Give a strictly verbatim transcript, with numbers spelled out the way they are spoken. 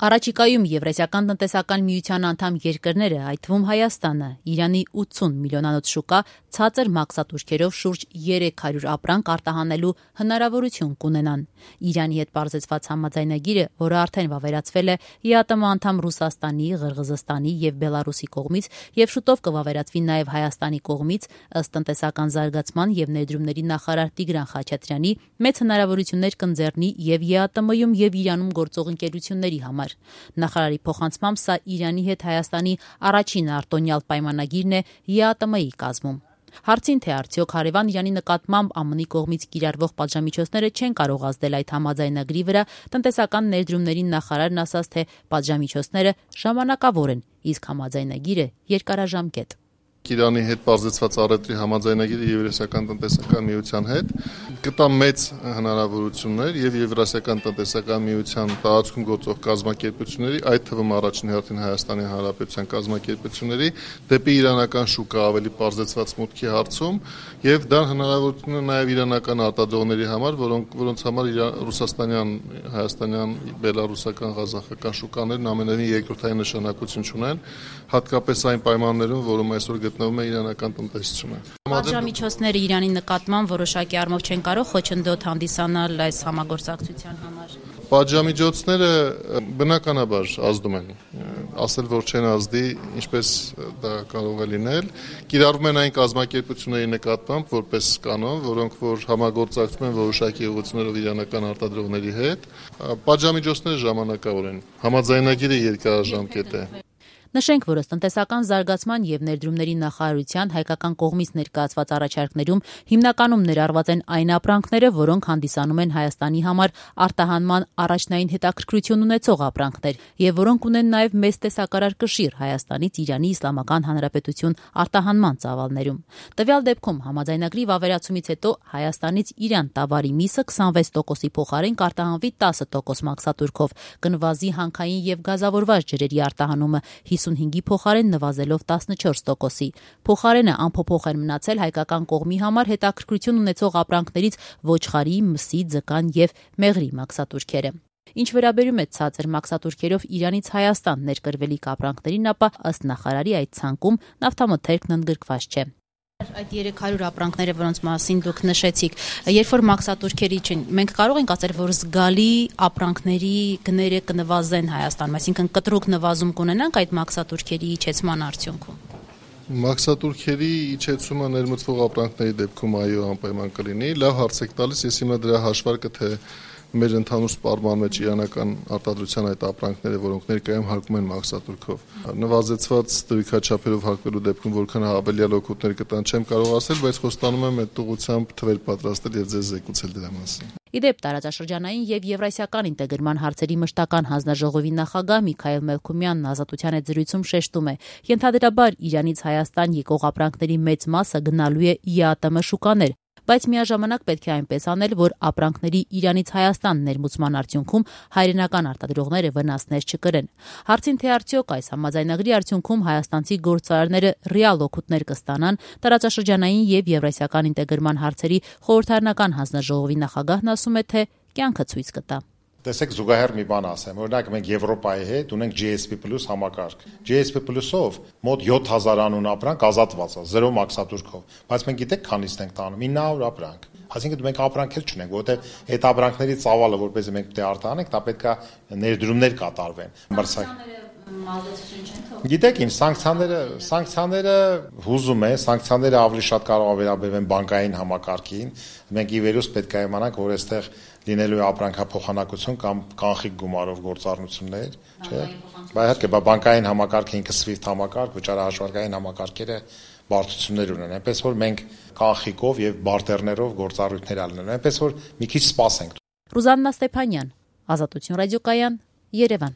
Առաջիկայում Եվրասիական տնտեսական միության անդամ երկրները, այդ թվում Հայաստանը, Իրանի ութսուն միլիոնանոց շուկա ցածր մաքսատուրքերով շուրջ երեք հարյուր ապրանք արտահանելու հնարավորություն կունենան։ Իրանի հետ պարզեցված համաձայնագիրը, որը արդեն վավերացվել է ԵԱՏՄ անդամ Ռուսաստանի, Ղրղզստանի եւ Բելարուսի կողմից եւ շուտով կվավերացվի նաեւ Հայաստանի կողմից, ըստ տնտեսական զարգացման եւ ներդրումների նախարար Տիգրան Խաչատրյանի, մեծ հնարավորություններ կընձեռնի եւ ԵԱՏՄ-ում եւ Իրանում գործող ընկերությունների համար։ Նախարարի փոխանցմամբ սա Իրանի հետ Հայաստանի առաջին արտոնյալ պայմանագիրն է ԵԱՏՄ-ի կազմում։ Հարցին, թե արդյոք հարևան Իրանի նկատմամբ ԱՄՆ-ի կողմից կիրառվող պատժամիջոցները չեն կարող ազդել այդ համաձայնագրի վրա, տնտեսական ներդրումների նախարարն ասաց, թե պատժամիջոցները ժամանակավոր են, իսկ համաձայնագիրը երկարաժամկետ։ Իրանի հետ պարզեցված առևտրի համաձայնագիրը Եվրասիական տնտեսական միության հետ կտա մեծ հնարավորություններ եւ Եվրասիական տնտեսական միության տարածքում գործող կազմակերպությունների, այդ թվում առաջին հերթին Հայաստանի Հանրապետության կազմակերպությունների դեպի իրանական շուկա ավելի պարզեցված մուտքի հարցում եւ դա հնարավորություն է նաեւ իրանական արտադրողների համար, որոնք որոնց համար ռուսաստանյան, հայաստանյան, բելարուսական, ղազախական շուկաներն ամենևին երկրորդային նշանակություն ունեն, հատկապես այն պայմաններում, որում այսօր գտնվում է իրանական տնտեսությունը։ Պատժամիջոցները Իրանի նկատմամբ որոշակի առումով չեն կարող խոչընդոտ հանդիսանալ այս համագործակցության համար։ Պատժամիջոցները բնականաբար ազդում են, ասել որ չեն ազդի, ինչպես դա կարող է լինել, կիրառվում են այն կազմակերպությունների նկատմամբ որպես կանոն, որոնք որ համագործակցում են որոշակի ուղղություններով իրանական արտադրողների հետ, պատժամիջոցները ժամանակավոր են, համաձայնագիրը երկարաժամկետ է։ Նշենք, որ ըստ տնտեսական զարգացման եւ ներդրումների նախարարության հայկական կողմից ներկայացված առաջարկներում հիմնականում ներառված են այն ապրանքները, որոնք հանդիսանում են Հայաստանի համար արտահանման առաջնային հետաքրքրություն ունեցող ապրանքներ եւ որոնք ունեն նաեւ մեծ տեսակարար կշիռ Հայաստանից Իրանի Իսլամական Հանրապետություն արտահանման ծավալներում։ Տվյալ դեպքում համաձայնագրի վավերացումից հետո Հայաստանից Իրան տավարի միսը քսանվեց տոկոսի փոխարեն կարտահանվի տասը տոկոս մաքսատուրքով, կնվազի հանքային եւ գազավորված ջրերի արտահանումը հիսունհինգի փոխարեն նվազելով տասնչորս տոկոսի։ Փոխարենը անփոփոխ են մնացել հայկական կողմի համար հետաքրքրություն ունեցող ապրանքներից ոչխարի, մսի, ձկան եւ մեղրի մաքսատուրքերը։ Ինչ վերաբերում է ցածր մաքսատուրքերով Իրանից Հայաստան ներկրվելիք ապրանքներին, ապա ըստ նախարարի այդ ցանկում նավթամթերքն ընդգրկված չէ։ Այդ երեք հարյուր ապրանքները, որոնց մասին դուք նշեցիք, երբ որ մաքսատուրքերի չեն, մենք կարող ենք ասել, որ զգալի ապրանքների գները կնվազեն Հայաստանում, այսինքն կտրուկ նվազում կունենանք այդ մաքսատուրքերի իջեցման արդյունքում։ Մաքսատուրքերի իջեցումը ներմուծվող ապրանքների դեպքում այո անպայման կլինի, լավ հարց եք տալիս, ես հիմա դրա հաշվարկը թե մեր ընդհանուր սպառման մեջ իրանական արտադրության այդ ապրանքները, որոնք ներկայում հարկում են մաքսատուրքով, նվազեցված դրույքաչափերով հարկվելու դեպքում որքան հավելյալ օգուտներ կտան, չեմ կարող ասել, բայց խոստանում եմ այդ ուղղությամբ թվեր պատրաստել եւ ձեզ զեկուցել դրա մասին։ Իդեպ տարածաշրջանային եւ եվրասիական ինտեգրման հարցերի մշտական հանձնաժողովի նախագահ Միքայել Մելքումյանն Ազատության հետ զրույցում շեշտում է. ենթադրաբար Իրանից Հայաստան եկող ապրանքների մեծ մասը գնալու է ԵԱՏՄ շուկաներ, բայց միաժամանակ պետք է այնպես անել, որ ապրանքների Իրանից Հայաստան ներմուծման արդյունքում հայրենական արտադրողները վնասներ չկրեն։ Հարցին, թե արդյոք այս համաձայնագրի արդյունքում հայաստանցի գործարարները ռեալ օգուտներ կստանան, տարածաշրջանային եւ եվրասիական ինտեգրման հարցերի խորհրդարանական հանձնաժողովի նախագահն ասում է, թե կյանքը ցույց կտա։ Տեսեք զուգահեռ մի բան ասեմ, օրինակ մենք Եվրոպայի հետ ունենք G S P plus համակարգ։ G S P plus-ով մոտ յոթ հազար անուն ապրանք ազատված է, զերո մաքսատուրքով, բայց մենք գիտեք քանիստ ենք տանում, ինը հարյուր ապրանք։ Այսինքն մենք ապրանք էլ չունենք, որովհետև այդ ապրանքների ծավալը, որպես մենք պետք է արտահանենք, դա պետք է ներդրումներ կատարվեն։ Գիտեք ինչ, սանկցիաները, սանկցիաները հուզում է, սանկցիաները ավելի շատ կարող է վերաբերվեն բանկային համակարգին։ Մենք ի վերուս պետք է իմանանք, որ այստեղ լինելու է ապրանքափոխանակություն կամ կանխիկ գումարով գործառնություններ, չէ՞։ Բայց իհարկե, բանկային համակարգը ինքը SWIFT համակարգ, վճարահաշվարկային համակարգերը բարդություններ ունեն, այնպես որ մենք կանխիկով եւ բարտերներով գործառույթներ ալնելու, այնպես որ մի քիչ սպասենք։ Ռուզաննա Ստեփանյան, Ազատություն ռադիոկայան, Երևան։